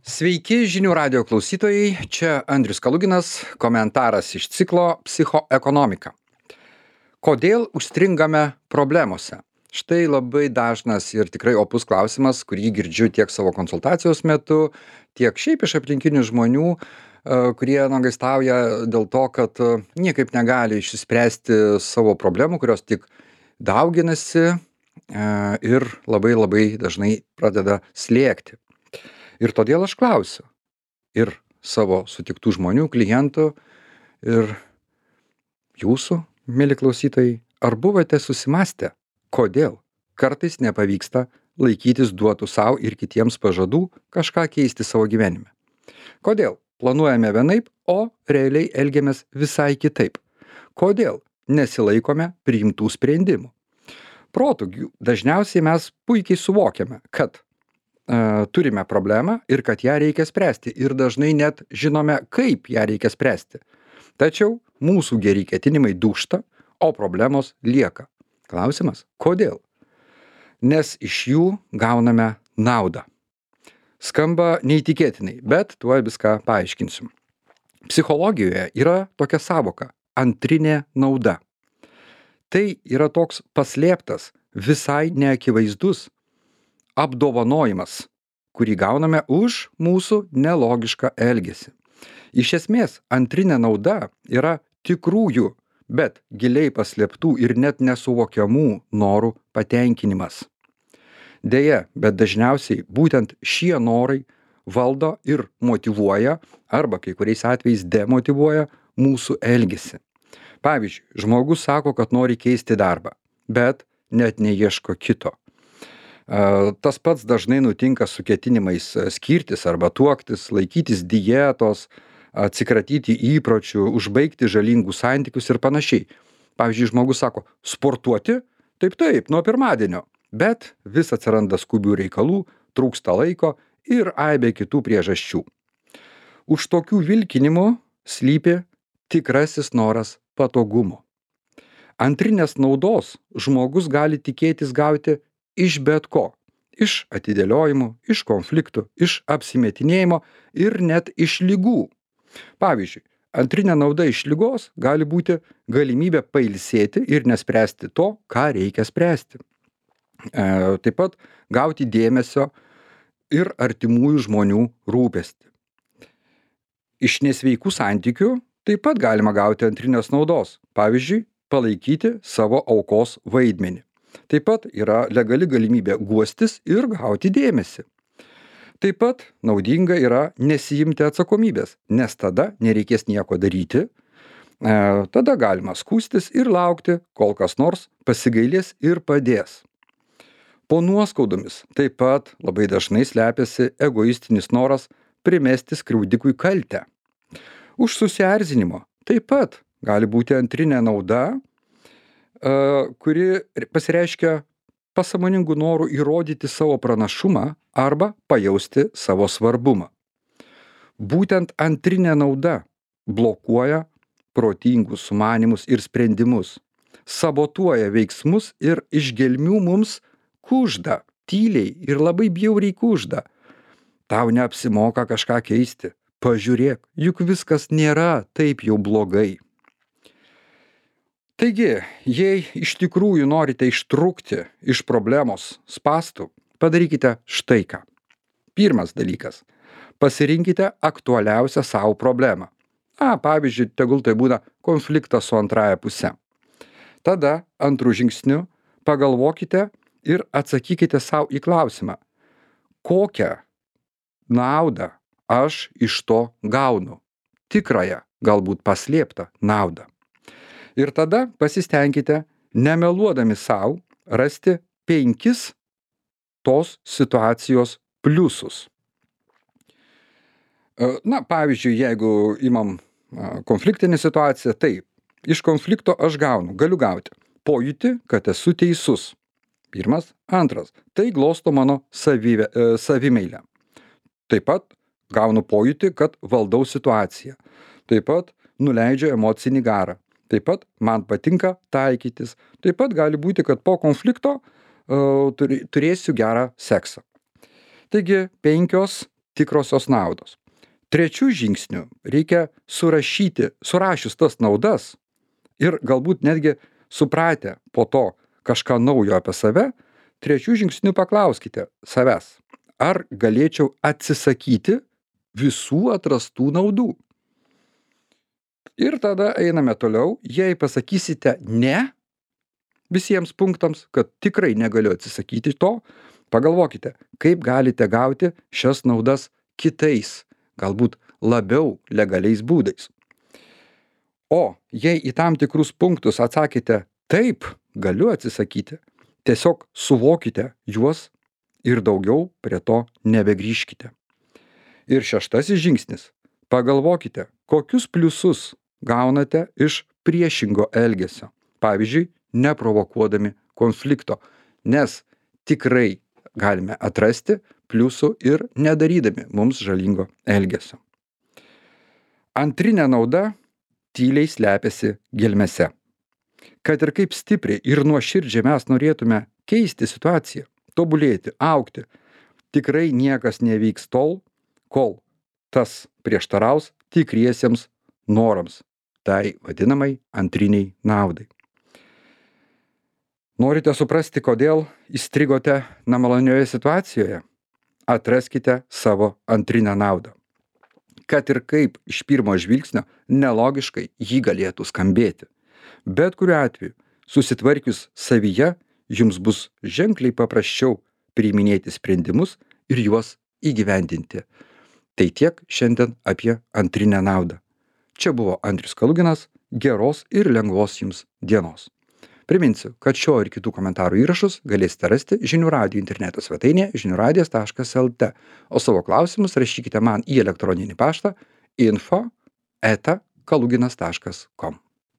Sveiki žinių radijo klausytojai, čia Andrius Kaluginas, komentaras iš ciklo Psichoekonomika. Kodėl užstringame problemose? Štai labai dažnas ir tikrai opus klausimas, kurį girdžiu tiek savo konsultacijos metu, tiek šiaip iš aplinkinių žmonių, kurie nuogąstauja dėl to, kad niekaip negali išspręsti savo problemų, kurios tik dauginasi ir labai labai dažnai pradeda slėgti. Ir todėl aš klausiu ir savo sutiktų žmonių, klientų ir jūsų, mieli klausytojai, ar buvote susimąstę, kodėl kartais nepavyksta laikytis duotų sau ir kitiems pažadų kažką keisti savo gyvenime? Kodėl planuojame vienaip, o realiai elgiamės visai kitaip? Kodėl nesilaikome priimtų sprendimų? Protu dažniausiai mes puikiai suvokiame, kad turime problemą ir kad ją reikia spręsti ir dažnai net žinome, kaip ją reikia spręsti. Tačiau mūsų geri ketinimai dūžta, o problemos lieka. Klausimas, kodėl? Nes iš jų gauname naudą. Skamba neįtikėtinai, bet tuoj viską paaiškinsim. Psichologijoje yra tokia sąvoka – antrinė nauda. Tai yra toks paslėptas, visai neakivaizdus apdovanojimas, kurį gauname už mūsų nelogišką elgesį. Iš esmės, antrinė nauda yra tikrųjų, bet giliai paslėptų ir net nesuvokiamų norų patenkinimas. Deja, bet dažniausiai būtent šie norai valdo ir motyvuoja, arba kai kuriais atvejais demotyvuoja mūsų elgesį. Pavyzdžiui, žmogus sako, kad nori keisti darbą, bet net neieško kito. Tas pats dažnai nutinka su ketinimais skirtis arba tuoktis, laikytis dietos, atsikratyti įpročių, užbaigti žalingus santykius ir panašiai. Pavyzdžiui, žmogus sako, sportuoti? Taip, nuo pirmadienio. Bet vis atsiranda skubių reikalų, trūksta laiko ir aibė kitų priežasčių. Už tokių vilkinimų slypi tikrasis noras patogumo. Antrinės naudos žmogus gali tikėtis gauti iš bet ko. Iš atidėliojimų, iš konfliktų, iš apsimetinėjimo ir net iš ligų. Pavyzdžiui, antrinė nauda iš ligos gali būti galimybė pailsėti ir nespręsti to, ką reikia spręsti. Taip pat gauti dėmesio ir artimųjų žmonių rūpestį. Iš nesveikų santykių taip pat galima gauti antrinės naudos. Pavyzdžiui, palaikyti savo aukos vaidmenį. Taip pat yra legali galimybė guostis ir gauti dėmesį. Taip pat naudinga yra nesiimti atsakomybės, nes tada nereikės nieko daryti. Tada galima skųstis ir laukti, kol kas nors pasigailės ir padės. Po nuoskaudomis taip pat labai dažnai slepiasi egoistinis noras primesti skriaudikui kaltę. Už susierzinimo taip pat gali būti antrinė nauda, kuri pasireiškia pasąmoningų norų įrodyti savo pranašumą arba pajausti savo svarbumą. Būtent antrinė nauda blokuoja protingus sumanymus ir sprendimus, sabotuoja veiksmus ir iš gelmių mums kužda, tyliai ir labai bjauriai kužda. Tau neapsimoka kažką keisti, pažiūrėk, juk viskas nėra taip jau blogai. Taigi, jei iš tikrųjų norite ištrūkti iš problemos spąstų, padarykite štai ką. Pirmas dalykas. Pasirinkite aktualiausią savo problemą. Pavyzdžiui, tegul tai būna konfliktas su antraja puse. Tada, antrų žingsnių, pagalvokite ir atsakykite savo į klausimą. Kokią naudą aš iš to gaunu? Tikrąją, galbūt paslėptą naudą. Ir tada pasistengkite, nemeluodami savo, rasti 5 tos situacijos pliusus. Pavyzdžiui, jeigu imam konfliktinę situaciją, taip, iš konflikto aš galiu gauti pojūtį, kad esu teisus. Pirmas. Antras. Tai glosto mano savimeilę. Taip pat gaunu pojūtį, kad valdau situaciją. Taip pat nuleidžiu emocinį garą. Taip pat man patinka taikytis. Taip pat gali būti, kad po konflikto turėsiu gerą seksą. Taigi 5 tikrosios naudos. Trečiu žingsniu reikia surašius tas naudas ir galbūt netgi supratę po to kažką naujo apie save, trečiu žingsniu paklauskite savęs, ar galėčiau atsisakyti visų atrastų naudų. Ir tada einame toliau, jei pasakysite ne visiems punktams, kad tikrai negaliu atsisakyti to, pagalvokite, kaip galite gauti šias naudas kitais, galbūt labiau legaliais būdais. O jei į tam tikrus punktus atsakėte taip, galiu atsisakyti, tiesiog suvokite juos ir daugiau prie to nebegrįžkite. Ir šeštasis žingsnis. Pagalvokite, kokius pliusus gaunate iš priešingo elgesio. Pavyzdžiui, neprovokuodami konflikto, nes tikrai galime atrasti pliusų ir nedarydami mums žalingo elgesio. Antrinė nauda tyliai slepiasi gelmėse. Kad ir kaip stipriai ir nuoširdžiai mes norėtume keisti situaciją, tobulėti, augti, tikrai niekas nevyks tol, kol tas prieštaraus tikriesiems norams, tai vadinamai antriniai naudai. Norite suprasti, kodėl įstrigote nemalonioje situacijoje? Atraskite savo antrinę naudą. Kad ir kaip iš pirmo žvilgsnio nelogiškai jį galėtų skambėti. Bet kuriuo atveju, susitvarkius savyje, jums bus ženkliai paprasčiau priiminėti sprendimus ir juos įgyvendinti. Tai tiek šiandien apie antrinę naudą. Čia buvo Andrius Kaluginas, geros ir lengvos jums dienos. Priminsiu, kad šio ir kitų komentarų įrašus galėsite rasti Žinių radijo interneto svetainėje žiniųradijas.lt, o savo klausimus rašykite man į elektroninį paštą info@kaluginas.com.